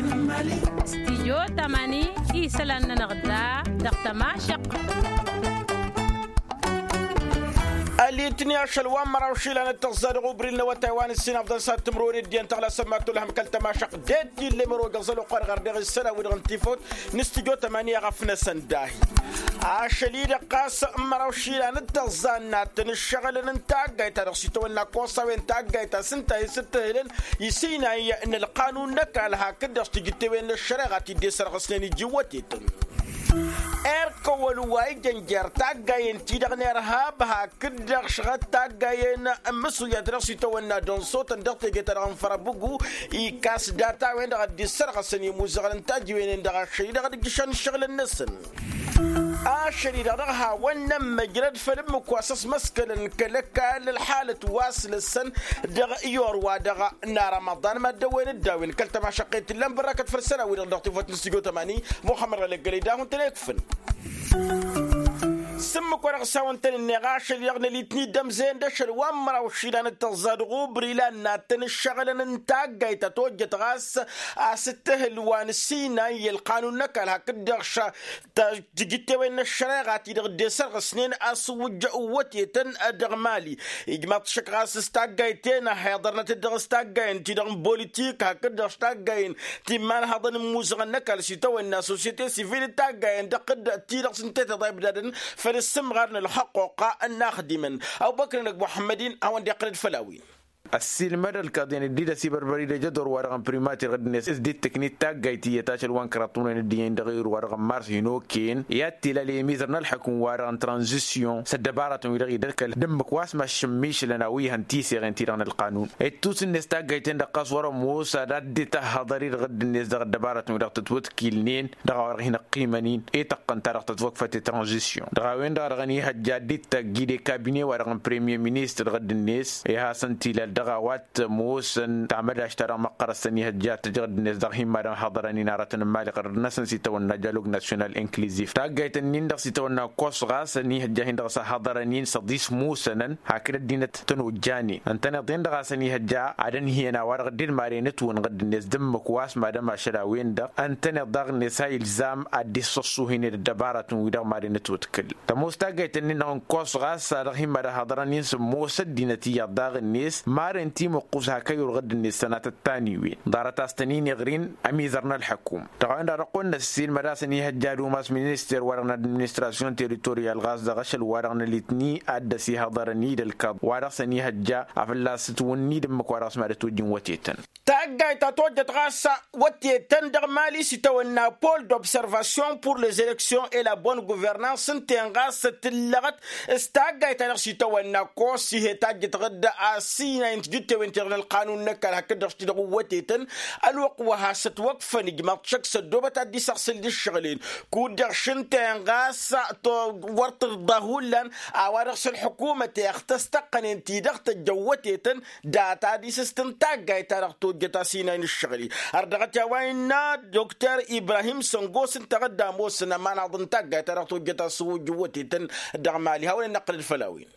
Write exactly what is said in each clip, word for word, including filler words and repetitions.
Stijyo tamani isălan-nănăɣ da dăɣ-tămašăq. Alitni ašăl wa n-măraw išilan d-tăẓẓa dăɣ-ubril n-awătay wa n-ǝssin afḍăn s-ad-tǝmrǝwăn ăddiyăn tăɣlasăn ma tolhăm kăl-tămašăq. Dd-ille măro găẓăl oqar ɣăr deɣ isălan-wi-dăɣ n-tifawt n-stijyo tamani a ɣăf-năsăn dahi. Ašăl-i-dăɣ ɣas n-măraw išilan d-tăẓẓa ǝnnattăn ǝššăɣǝlăn n-taggayt-ta-dăɣ s-itawănna ăkkoṣṣawen taggayt ta s-ǝnta a hi-sǝttǝhǝlăn isinay n-ălqanun n-ăkall hakd-dăɣ s-tijǝttewen n-ăššăreɣa ti dd-esărɣǝsnen iji iwwătetăn. Erk ăwwăl wa ijăn jer-taggayen-ti-dăɣ n-irhab hakd-dăɣ šăɣăt taggayen n-imǝsuyat dăɣ-s itawănna dăɣ-n sotăn dăɣ-teje-ta-dăɣ n-fărăbǝgu. Ikas data-wen-dăɣ a dd-issărɣăsăn imuzăɣăn n-tajiwen-en-dăɣ ašăl-i-dăɣ d-ǝjjǝšăn ǝššăɣǝlăn-năsăn. Ašăl-i-dăɣ dăɣ-hawăn-nămmăjrăd făll-ǝmmǝk wa s-ăsmăskălăn kăl-ăkall ălḥalăt wa s-lăssăn dăɣ-iyor-wa-dăɣ n-arămăḍan mad-dăwwen dd-a-wen kăl-tămašăqqet tǝllan bărrakăt făll-isălan-wi-dăɣ dăɣ-tefăt n-stujo tămani. Muxămmăd ɣăleggălăy d-ad-hun-tăn-ekfǝn. S-ǝmmǝk wa dăɣ-s hawăn-tăn-ǝnneɣ ašăl-i-dăɣ n-alitni d-ămzăyăn d-ašăl wa n-măraw išilan d-tăẓẓa dăɣ-ubri la ǝnnattăn ǝššăɣǝlăn n-taggayt ta tojjăt ɣas asǝttǝhǝl wa n-sinay i-ălqanun n-ăkall hakd-dăɣ tijǝttewen n-ăššăreɣa-ti-dăɣ dd-esărɣǝsnen asǝwwǝjj n-wătetăn dăɣ-mali. Ijmaḍ-t šăkk ɣas s-taggayt-en a hi-iḍărnăt-dd dăɣ-s taggayen-ti-dăɣ n-politik hakd-dăɣ s-taggayen ti n-imanhăḍăn n-imuzăɣăn n-ăkall s-itawănna sosyete sivil d-taggayen-dăɣ d-ti-dăɣ s-ǝnta i-tiḍa ibdadăn făll-issǝmɣar n-ălxăqquqa n-inaxdimăn. Ăbubăkr-năg muḥămmăd-in hawăn-dd-iqqălăd făll-a-wen. Ăssiilmăd ălkaḍ-en dd-idăs ibărbăr-dd ejădor-wa-dăɣ n-primatir ɣǝddǝnet s-dd-tǝknit taggayt iyyăt ašăl wa n-kăraḍ timǝrwen d-iyyăn dăɣ-iru-wa-dăɣ n-mars hin-okăyăn i-ad-t-ilal i-ămizăr n-ălḥukǝm-wa-dăɣ n-tranzisyon s-ăddăbaratăn-wi-dăɣ idăr kăl-dd-ǝmmǝk wa s-maššǝmmišlăn a-wa ihăn tiseɣen-ti-dăɣ n-ălqanun. Ittus-net taggayt-en-dăɣ ɣas wăr-ămoos ad-dd-ităhhăḍăr-i dăɣ-dd-net dăɣ-ăddăbaratăn-wi-dăɣ tătwătkilnen dăɣ-a-wa-dăɣ hin-ăqqimăn-in i-tăqqăn ta dăɣ-tătwăkfăt i-tranzisyon dăɣ-a-wen-dăɣ a dăɣ-ănihăjja ad-dd-ittagg i-de kabine-wa-dăɣ n-premier ministăr ɣǝddǝnet i-hasăn-t-ilal dăɣ-a-wa t-ămoosăn tamădašt-ta-dăɣ măqqărăt s-ănihăjja ad-tăj ɣǝddǝnet dăɣ-hin-mad-ănhăḍărăn-in aratăn n-imali ɣărăd-năsăn s-itawănna dialog national incluzif taggayt-ǝnnin-dăɣ s-itawănna ăkkoṣ ɣas ănihăjja a hin-dăɣ s-ăhhăḍărăn-in s-ăḍis musănăn hakd ăddinăt tănojjanen ǝntăneḍ-en-dăɣ a-s ănihăjja ad-ănhǝyăn a-wa-dăɣ dd-maren ǝtwǝnɣǝd-net d-ǝmmǝk wa s-mad-ămašăl a-wen-dăɣ ǝntăneḍ daɣ-net a ilzam ad-dd-issăṣṣuhǝynen ăddăbaratăn-wi-dăɣ maren ǝtwǝtkǝl. Tămoos taggayt-ǝnnin-dăɣ n-ǝkkoṣ ɣas a dăɣ-hin-mad-ăhhăḍărăn-in sǝmmos ăddinăt iyyăḍ daɣ-net maren timǝqqus hak ăyurɣǝd-net sănatăt taniwen ḍarăt a-s tăn-in-iɣrin ămizăr n-ălḥăkum. Dăɣ-a-wen-dăɣ a dăɣ-kăwăn-năssiilmăd a-s ănihăjja ad-umas minister-wa-dăɣ n-administrasyon teritoryal ɣas dăɣ-ašăl-wa-dăɣ n-alitni ad-dd-ăsihăḍărăn-dd ălkăḍ wa-dăɣ s-ănihăjja afălla s-ǝtwǝnni d-ǝmmǝk wa-dăɣ s-mad-ătwăjjǝn wătetăn. Taggayt ta tojjăt ɣas wătetăn dăɣ-mali s-itawănna pol d'observasyon pour les élections et la bonne gouvernance ǝnta-en ɣas tǝllăɣăt s-taggayt ta dăɣ-s itawănna ăkkoṣ ih'-e tajjăt ɣǝdda a ăssinay n-tijǝttewen-ti-dăɣ n-ălqanun n-ăkall hakd-dăɣ s-ti-dăɣ uwwătetăn. Ălwăqq wa has-ătwăkfăn ijmaḍ-t šăkk s-ăddoobăt ad-dd-isăɣsǝl d-ǝššăɣǝl-en kud-dăɣ šǝnta-en ɣas wăr tǝrḍa hullan a-wa-dăɣ s-ălḥukumăt ixtăs tăqqănen ti-dăɣ tăjjăn wătetăn. Data-di s-s-tǝntagga i-ta-dăɣ tojjăt asinay n-ǝššăɣǝl-i. Ărdăɣăt i-a-wa innă dokter ibrahim săngos ǝnta a dd-ămoosăn ămanaḍ n-tagga i-ta-dăɣ tojjăt asǝwwǝjjǝw wătetăn dăɣ-mali hawăn-in-năqqǝlăd făll-a-wen.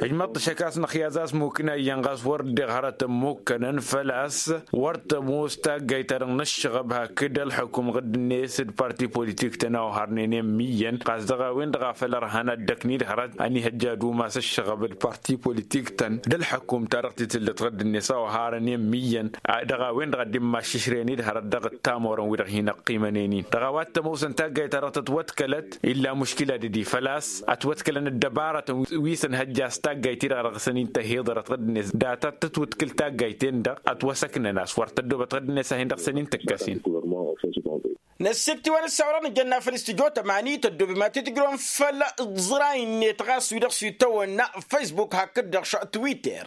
Ǝjmăḍ-t šăk a-s năxyaz a-s mukna iyyăn ɣas wăr dd-iɣ hărăt ămmukkănăn făl-a-s wăr tămoos tagga i-ta-dăɣ n-ǝššăɣăb hakd ălḥukum ɣǝdd-net d-parti politik-tăn a oharnen i-ǝmmǝyyăn ɣas dăɣ-a-wen-dăɣ a făl ărhăn ad-dd-ăknid hărăt ănihăjja ad-umas ǝššăɣăb d-parti politik-tăn d-ălḥukum-ta-dăɣ ti tǝllǝt ɣǝdd-net a oharăn i-ǝmmǝyyăn. Dăɣ-a-wen-dăɣ a dd-immaššǝšrăyăn-dd hărăt dăɣ-ăttamorăn-wi-dăɣ hin-ăqqimănen-in dăɣ-a-wa t-ămoosăn taggayt-ta-dăɣ tătwătkălăt illa muškila dădi făl-a-s ătwătkălăn ăddăbarătăn wi s-ănhăjja a-s taggayt-i-dăɣ a dăɣ-săn-in tăhiḍărăt ɣǝdd-net data tătwǝtkǝl taggayt-en-dăɣ ătwăsăknăn a-s wăr tăddoobăt ɣǝdd-net a hin-dăɣ-săn-in tǝkkăs-in. Năssikt'-iwăn ǝssa wa-dăɣ nǝjănna făll-studyo tămani tăddoobem ad-t-tǝjrǝwăm făll-iẓray-net ɣas wi-dăɣ s-itawănna facebook hakd-dăɣ twitter.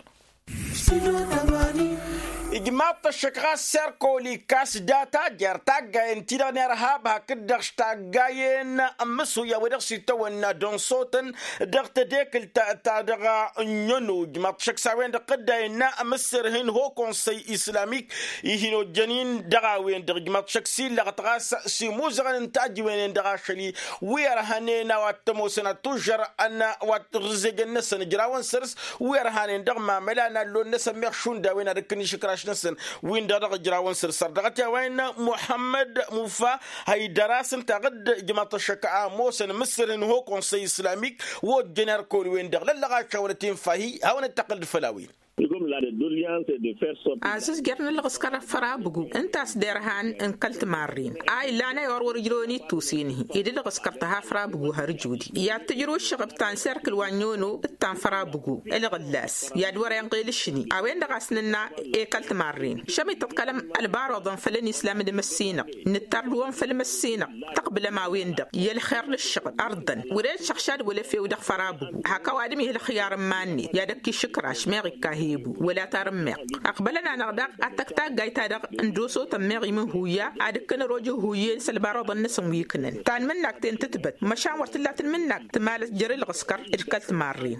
Ijmaḍ-t ăššăk ɣas serkol ikkas data jer-taggayen-ti-dăɣ n-irhab hakd-dăɣ s-taggayen n-imǝsuyya wa dăɣ-s itawănna dăɣ-n sotăn dăɣ-tedekǝlt ta dăɣ-ănnăno ijmaḍ-t ăššăk s-a-wen-dăɣ tădda innă amǝsser hin-ho konsăy islamik ih'-in ojjăn-in dăɣ-a-wen-dăɣ ijmaḍ-t ăššăk s-illăɣăt ɣas s-imuzăɣăn n-tajiwen-en-dăɣ ašăl-i wi ărhănen a-wa t-ămoosăn ad-tužžăr ănn wa t-ărrǝzejăn-năsăn ǝjrawăn săr-s wi ărhanen dăɣ-mamăla n-allon-năsăn meɣ šund a-wen ad-ǝkkǝn išǝkraš. Năsăn win-dăɣ dăɣ-ǝjrawăn săr-săr dăɣ-t i-a-wa innă muḥămmăd mufa, hăydăr-as ǝnta ɣǝd ǝjmăḍ-t ăššăk a ămoosăn mǝssǝrhǝn ho-konsăy islamik. Wa ojjăn erk ăwăl-wen-dăɣ lăllăɣ ašăwălăt infa-hi hawăn-dd-tăqqǝlăd făll-a-wen. Azǝzjăr n-ǝlɣǝskăr făr-abǝgu ǝnta a-s derhan n-kăl-timarrin a illan ăyɣăr wăr-ǝjrăwăn ittus-in-hi ed ǝlɣǝskăr tăha făr-abǝgu har ǝjudi i-ad-tǝjrǝw ǝššăɣb ta n-serk ǝlwannyono d-ta n-făr-abǝgu. Ǝlɣǝllas i-ad-wăr-inɣel ǝššǝni a-wen-dăɣ a-s nǝnna i-kăl-timarrin šămit tăḍkălăm ălbaroḍăn făll-ănislam d-imăssinăɣ. Nǝttăr d-wăn făll-imăssinăɣ tăqbǝlăm a-wen-dăɣ i-ălxer n-ǝššăɣǝl ărḍăn wăr-e d-šăɣšad wăla efew dăɣ-făr-abǝgu. Hak ăwadǝm ih' ălxiyar n-iman-net i-ad-ăkk išǝkraš meɣ ikka hebu wăla tarǝmmeɣt. Ăqbălăn-anăɣ daɣ ad-tăkk taggayt-ta-dăɣ n-dosotăn meɣ imǝhhuyya ad-ǝkkǝn ărooj ihuyyen s-ălbaroḍăn-năsăn wi ǝknăn tanmǝnnakt-en tǝtbăt măšan wăr t-tǝlla tǝlmǝnnakt tǝmalăs jer-ǝlɣǝskăr d-kăl-timarren.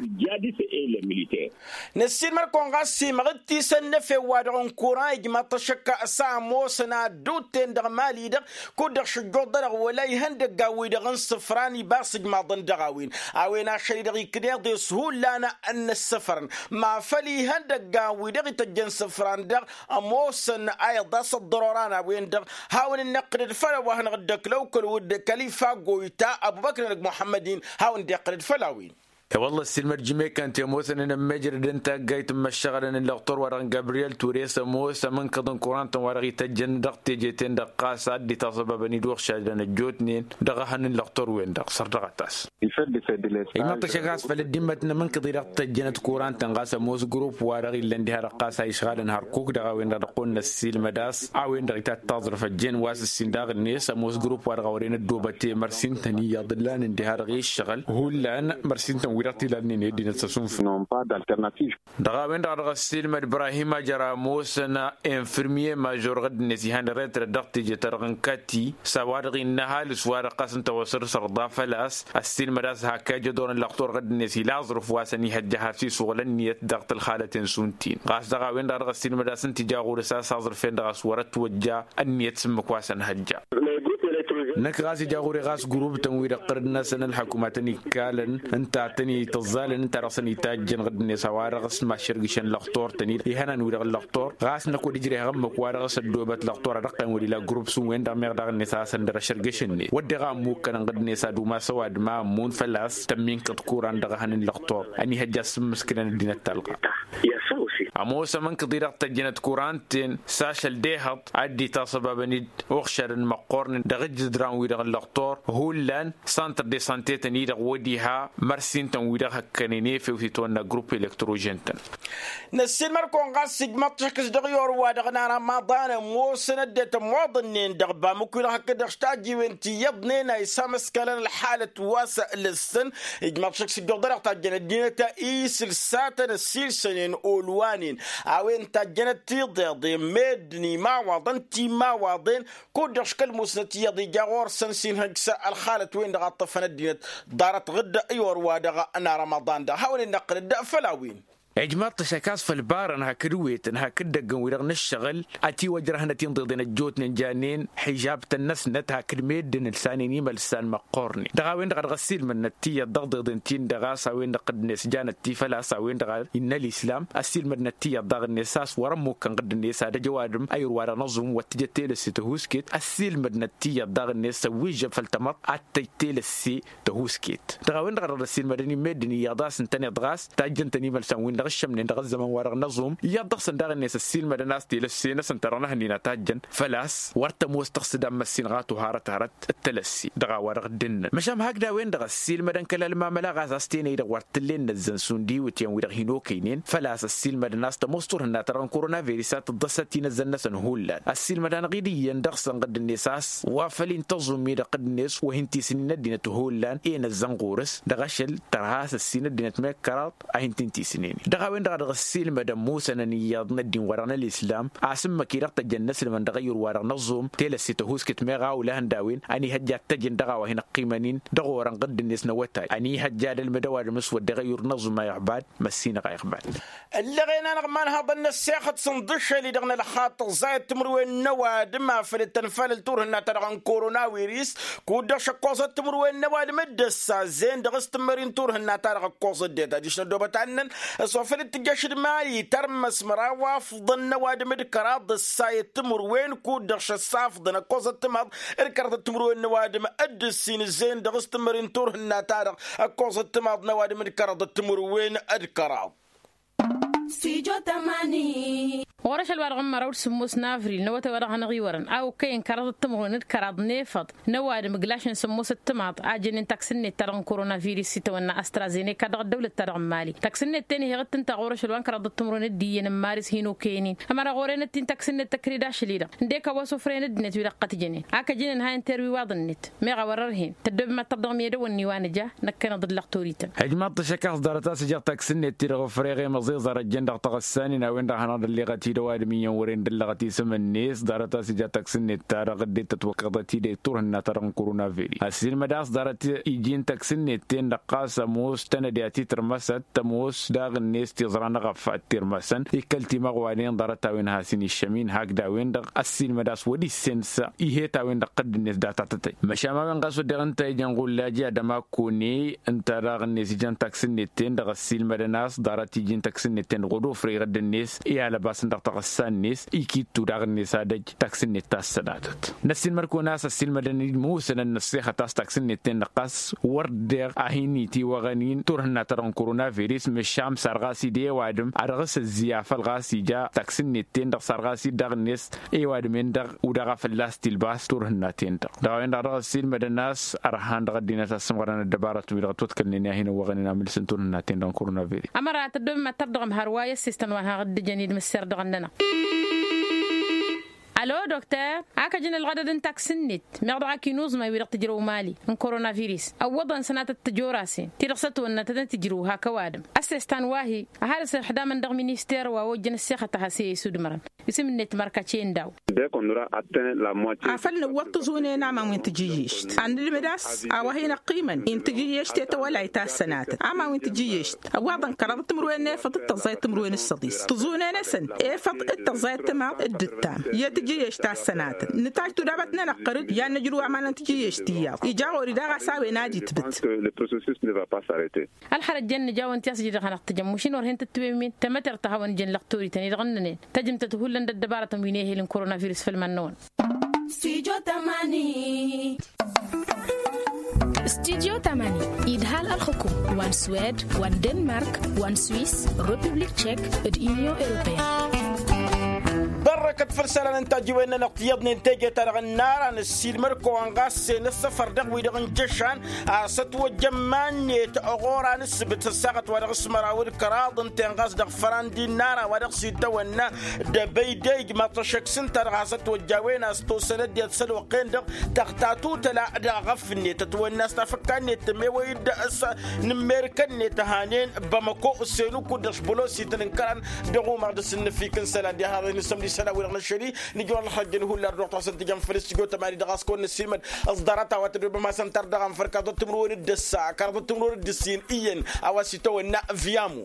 Năssiilmăd-kăwăn ɣas simăɣ d-tisăn n-efew-wa-dăɣ n-kuran ijmaḍ-t ăššăk s-a ămoosăn addut-ten dăɣ-mali-dăɣ kud-dăɣ šǝjjuḍ-dăɣ wăla ihăndăggan-wi-dăɣ n-isǝfran ibas ǝjmaḍăn dăɣ-a-wen. A-wen ašăl-i-dăɣ ikneḍ-es hullan n-ǝssǝfrăn ma făl ihăndăggan-wi-dăɣ ităjjăn isǝfran-dăɣ ămoosăn a iḍas ăḍḍărora n-a-wen-dăɣ. Hawăn-dd-năqqǝdăd făll-a-wa hanăɣ-dd-ăklăw kăl-wădd kăl-ifa goyta ăbubăkr-nănăg muḥămmăd-in. Hawăn-dd-iqqǝdăd făll-a-wen. I-wălla ăssiilmăd jimekkan ti ămoosăn inămmejrăd n-taggayt n-imăššăɣălăn n-lăqtor-wa-dăɣ n-gabriyel ture s-ămoos amǝnkăḍ n-kurantăn wa dăɣ-ităjjăn dăɣ-teje-ten-dăɣ ɣas ad-dd-itaẓăbabăn-dd uɣšadăn ăjjootnen dăɣ-ehăn n-lăqtor-wen-dăɣ săr dăɣ-ătas. Ijmăḍ-t ăššăk a-s făll-ăddimmăt n-amǝnkăḍ-i-dăɣ tăjjănăt kurantăn ɣas ămoos grupp-wa-dăɣ illăn diha-dăɣ ɣas a išɣalăn hărkuk dăɣ-a-wen-dăɣ dăɣ-kăwăn-năssiilmăd a-s a-wen-dăɣ itattaẓrǝf ăjjeen wa s-ǝssin daɣ-net ămoos grupp-wa-dăɣ a wăren ăddoobăt i-mărsintăn iyyăḍ ǝllanăn diha-dăɣ i-ǝššăɣǝl hullan mărsintăn-wi-dăɣ t-ilalnen i-ăddinăt s-ăsunfăn. Dăɣ-a-wen-dăɣ a dăɣ-ăssiilmăd ibrahim a jăr-ămoosăn infirmye mažor ɣǝdd-net ihăn retret dăɣ-teje-ta-dăɣ n-kati s-a-wa-dăɣ innă ăhalǝs-wa-dăɣ ɣas ǝnta wa săr-sărḍa făl-a-s ăssiilmăd a-s hak ija ădor n-lăqtor ɣǝdd-net ila aẓrǝf wa s-ănihăjja has-isuɣǝl ǝnniyăt dăɣ-tălxalăten šund-tin ɣas dăɣ-a-wen-dăɣ a dăɣ-ăssiilmăd a-s ǝnta ija ɣur-s a-s aẓrǝf-en-dăɣ a-s wăr-ătwăjja ǝnniyăt s-ǝmmǝk wa s-ănhăjja. Năkk ɣas ija ɣur-i ɣas gurub-tăn-wi-dăɣ ɣǝrǝd-năsăn ălḥăkumat ănikalăn ǝnta a tăn-itǝẓẓalăn ǝnta dăɣ-săn itajjăn ɣǝdd-net a-wa-dăɣ s-maššărgǝšăn lăqtor-tăn-dd ihănan-wi-dăɣ ǝllăqtor ɣas năkk wăr-ijreh ămmǝk wa dăɣ-s ăddoobăt lăqtor ad-ăqqăyăn wăr-ila gurub s-ǝnwen-dăɣ meɣ daɣ-net a hasăn-dăr-ăšărgǝšăn-net wădden a ămmukkănăn ɣǝdd-net ad-umas ăwadǝm a ămmun făl-a-s tămminkăḍ kuran dăɣ-ehăn n-lăqtor ănihăjja a ǝssǝmmǝskǝlăn ăddinăt talɣa. Ămoos ămǝnkăḍ-i-dăɣ tăjjănăt kuran-ten s-ašăl d-ehăḍ ad-dd-itasăbabăn-dd uɣšadăn măqqornen dăɣ-ǝjjǝdran-wi-dăɣ n-lăqtor hullan santăr de sante-tăn-i-dăɣ wădiha mărsin-tăn-wi-dăɣ hăkkănen efew s-itwănna grupp elektrožen-tăn. Năssiilmăr-kăwăn ɣas ijmăḍ-t šăkk s-dăɣ i-orwa-dăɣ n-arămaḍan ămoosăn ăddinăt ămmoḍănnen dăɣ-bamǝk-wi-dăɣ hakd-dăɣ s-tajjiwen ti iyyăḍnen a isamăskalăn ălxalăt wa s-lǝssǝn. Ijmăḍ-t šăkk s-ǝjjuḍ-dăɣ tajjăn ăddinăt isǝlsatăn ăssiilsănen olwanen a-wen tajjănăt tiḍeḍen meddǝn imawaḍăn timawaḍen kud-dăɣ škăl musnăt iyyăḍ ija ɣur-săn s-inhăjj s-ălxalăt-wen-dăɣ a ǝṭṭăfăn ăddinăt ḍarăt ɣǝdda i-orwa-dăɣ n-arămaḍan-dăɣ hawăn-in-năqqǝlăd făll-a-wen. Ijmaḍ-t ăššăk a-s făll-barăn hakd wetăn hakd idăggăn-wi-dăɣ n-ǝššăɣǝl ătiwăjrăhăn ătinḍeḍen ăjjootnen janen xižab-tăn-năsnăt hakd meddǝn ǝlsanen imălsan măqqornen dăɣ-a-wen-dăɣ a dăɣ-ăssiilmădnăt tiyyăḍ dăɣ-iḍeḍen-tin-dăɣ a-s a-wen-dăɣ ɣǝdd-net janăt-ti făl-a-s a-wen-dăɣ a innă ălislam. Ăssiilmădnăt tiyyăḍ daɣ-net a-s wăr-ămmukkăn ɣǝdd-net ad-ăj ăwadǝm a irwa-dăɣ n-aẓum wăr t-tǝjăt telăsse tăhuusket ăssiilmădnăt tiyyăḍ daɣ-net s-ăwwižžăn făll-tamăḍt ad-t-tăj telăsse tăhuusket. Dăɣ-a-wen-dăɣ a dăɣ-ăssiilmădăn i-meddǝn iyyăḍ a-s ǝntăneḍ ɣas tajjăn-tăn imălsan-win-dăɣ ǝššămnen dăɣ-ăzzăman-wa-dăɣ n-aẓum iyyăḍ dăɣ-săn daɣ-net ăssiilmădăn a-s telăsse-năsăn ta dăɣ-năhănnin a tajjăn făl-a-s wăr tămoos tăɣsǝd a n-măssin ɣato harăt-harăt d-telăsse. Dăɣ-a-wa-dăɣ dd-ǝnnăn măšan hakd a-wen-dăɣ ăssiilmădăn kăl-ălmamăla ɣas a-s tenăy-dăɣ wăr t-tǝllen inăzzăn šund iwǝtyan-wi-dăɣ hin-okăynen făl-a-s ăssiilmădăn a-s tămoos turhǝnna-ta-dăɣ n-korona viris a tǝḍḍăsăt inăzzăn-năsăn hullan ăssiilmăd-anăɣ-dd iyyăn dăɣ-săn ɣǝdd-net a-s wa făl intăẓum-i-dăɣ ɣǝdd-net wa hin-tisǝnnin ăddinăt hullan i-inăzzăn ɣur-s dăɣ-ašăl tărha a-s ăssin ăddinăt mekkăraḍ a hin-t-intisǝnen-i. Dăɣ-a-wen-dăɣ a dăɣ-ăssiilmădăn musănăn iyyăḍ n-ăddin-wa-dăɣ n-ălislam a-s ǝmmǝk-i-dăɣ tăjjăn inăslǝmăn dăɣ-ăyyur-wa-dăɣ n-aẓum telăsse tăhuusket meɣ a ulăhăn d-a-wen ănihăjja ad-t-ăjǝn dăɣ-a-wa hin-ăqqimăn-in dăɣ-orăn ɣǝdd-net n-awătay ănihăjja ad-ălmǝd ăwadǝm s-wăr dăɣ-ăyyur n-aẓum a iɣbad măssinăɣ a iɣbad. Ǝllăɣen-anăɣ imanhăḍăn n-ăssexăt s-ǝnḍǝššel-i-dăɣ n-ălxaṭṭăẓ zayăt timǝrwen n-ăwadǝm afăl d-tănfalăl turhǝnna-ta-dăɣ n-korona wiris kud-dăɣ šăkkoẓăt timǝrwen n-ăwadǝm dd-ăssazen dăɣ-s tǝmmări n-turhǝnna-ta-dăɣ ǝkkoẓăt det adiš n-ăddoobăt annăn. Făl d-tǝjjăš d-mali tărmăs măraw afḍăn n-ăwadǝm d-kăraḍ d-ăssayăt timǝrwen kud-dăɣ šăssafḍăn ăkkoẓăt timaḍ d-kăraḍăt timǝrwen n-ăwadǝm d-ǝssin ǝzzeyăn dăɣ-s tǝmări n-turhǝnna-ta-dăɣ. Ăkkoẓăt timaḍ n-ăwadǝm d-kăraḍăt timǝrwen d-kăraḍ. Ɣur-ašăl wa dăɣ-n măraw d-sǝmmos n-avril n-awătay wa dăɣ-hanăɣ-iwărăn a okăyăn kăraḍăt timǝrwen d-kăraḍ n-efăḍ n-ăwadǝm ǝglašnen sămmosăt timaḍ a jănnen taksǝnnet-ta-dăɣ n-korona virus s-itawănna astrazenek a dăɣ-ăddăwlăt-ta-dăɣ n-mali. Taksǝnnet-ten-hi heɣ-dd-tǝnta ɣur-ašăl wa n-kăraḍăt timǝrwen d-iyyăn n-maris hin-okăyăn-in ămăra ɣur-enăt-in taksǝnnet tăkrǝd ašăl-i-dăɣ ǝndek a-wa s-ofrăyăn ăddinăt-wi-dăɣ qăt jănen. Ak ăjǝnen ha inta erwiwaḍ-net meɣ a wăr-ărhen tăddoobem ad-tărdăɣ medăwăn n-iwa nǝja. Năkkăneḍ d-lăɣ torităn. Hăjmaḍ-t ašăk a-s ḍarăt a-s ǝjăɣ taksǝnnet-ti-dăɣ ofrăyăɣ i-măẓeẓ ărăjjăn dăɣ-taɣǝssan-in a-wen-dăɣ hanăɣ-dd-ălleɣăt-i d-ăwadǝm iyyăn wăren d-ăllăɣăt isǝm-net ḍarăt a-s ija taksǝnnet-ta-dăɣ dd-e-tătwăkkăḍăt-dd i-turhǝnna-ta-dăɣ n-korona veri. Ăssiilmăd a-s ḍarăt iji n-taksǝnnet-ten-dăɣ ɣas ămoos tanădya ti tărmăsăt tămoos daɣ-net tiẓra n-aɣăffa d-tirmăsăn. Ikkăl timăɣwanen ḍarăt-a-wen has-in-iššămin hakd a-wen-dăɣ ăssiilmăd a-s wăr-issens ihet a-wen-dăɣ tădd-net data tătăy. Măšan ma-wen ɣas wădden ǝnta ijăn ɣullaj i-ad-ămakone ǝnta daɣ-net ijăn taksǝnnet-ten-dăɣ ăssiilmădăn a-s ḍarăt iji n-taksǝnnet-ten-dăɣ wăr-ofrăy irădd-net i-alăbasăn dăɣ-taɣǝssa-net ikittu daɣ-net ad-ăj taksǝnnet ta s-sănatăt. Năssiilmăd-kăwăn a-s ăssiilmădăn-dd musănăn n-ăssexăt a-s taksǝnnet-ten-dăɣ ɣas wăr deɣ a hin-itiwăɣăn-in turhǝnna-ta-dăɣ n-korona virus măšan sar ɣas-dd i-ăwadǝm ad-dăɣ-s ăzzǝy afăl ɣas ija taksǝnnet-ten-dăɣ sar ɣas-dd daɣ-net i-ăwadǝm-en-dăɣ udaɣ a fălla-s tilbas turhǝnna-ten-dăɣ. Dăɣ-a-wen-dăɣ dăɣ-ăssiilmădăn a-s ărhan dăɣ-ăddinăt a-s ămɣărăn ăddăbarătăn-wi-dăɣ ătwăḍkălnen i-ad-hin-ăwwăɣăn-in amǝlǝs n-turhǝnna-ten-dăɣ n-korona veri. Ămăra tăddoobem ad-tărdăɣăm hărwa i-ăssistăn wa n-haɣ dd-ǝjăn-dd mǝsser dăɣ-ănnănăɣ. Alo dokter, ak ăjǝn ălɣădăd n-taksǝnnet meɣ dăɣ-ak inuẓmay wi-dăɣ tǝjrăw mali n-korona virus ăwwăḍăn sănatăt tǝjorasen ti-dăɣ s-ătwănnătăt n-tǝjrǝw hak ăwadǝm. Ăssestan wa-hi ăhalǝs ixdamăn dăɣ-minister wa ojjăn ăssexăt a has-e-isudmărăn isǝm-net mărkăcen daw. Afăl nǝwwăḍ tǝẓunen aman wi n-tijǝjješt ad-nǝlmǝd a-s a-wa hin-ăqqimăn i n-tijǝjješt i-tawălayt a ăssănatăt aman wi n-tijǝjješt ăwwaḍăn kăraḍăt timǝrwen n-efăḍ d-tăẓẓayăt timǝrwen s-săḍis tǝẓunen-asăn efăḍ d-tăẓẓayăt timaḍ d-ǝttam. I-tijǝjješt a ăssănatăt nǝtaj tudabăt-nănăɣ qărǝd i-ad-nǝjrǝw aman n-tijǝjješt iyyăḍ ija ɣur-i daɣ a-s a-wen ad-itbǝt. Ălxărăt jăn nǝja-wăn ti-a-s ǝjǝdăɣ hanăɣ-tǝjăm mašin wăr hen tǝttǝwem-in tămătert ta hawăn-ǝjăn lăqtorităn-i-dăɣ ǝnnănen. Tăjǝmtăt hullan d-ăddăbarătăn wi n-ehel n-korona virus făll-iman-năwăn. Studio tămani. Studio tămani idhal ălxǝkum wa n-swed wa n-denmark wa n-swis, republik tšek, d-union europeyăn. Bărrăkăt făll-isălan n-tajǝwen-nănăɣ tiyyăḍnen teje-ta-dăɣ ǝnnar a nǝssiilmăd-kăwăn ɣas s-e-nǝssăfăr dăɣ-wi-dăɣ n-jăšan. A-s ătwăjjăn iman-net ɣur-anǝssǝbǝt ăssaɣăt wa dăɣ-s măraw d-kăraḍ ǝnta-en ɣas dăɣ-fărandi n-ara wa dăɣ-s itawănna d-ebăydey ijmaḍ-t ăššăk s-ǝnta-dăɣ has-ătwăjj a-wen a-s tosăn ăddinăt s-ălwăqq-en-dăɣ. Tăɣtatut ăla dăɣ-aɣăf-net ătwănna a-s tafǝkka-net tămewăy-dd s-nǝmmerǝkăn-net ăhanen bamăko s-enukud dăɣ-s bălosităn n-kăran. Dăɣ-umaɣ dăɣ-s ǝnnǝfik n-isălan diha n-isămdi isălan-wi-dăɣ n-ašăl-i nǝjrăw ălxăjjăn hullan dăɣ-tăɣsăn tǝjăm făll-s tijot ămani dăɣ-a-s kăwăn-nǝssiilmăd. Ăẓḍarăt a-wa tădobăm a-s ăntar dăɣ-anfăr kăraḍăt timǝrwen d-ăssa kăraḍăt timǝrwen d-ǝssin iyyăn a-wa s-itawănna viamu.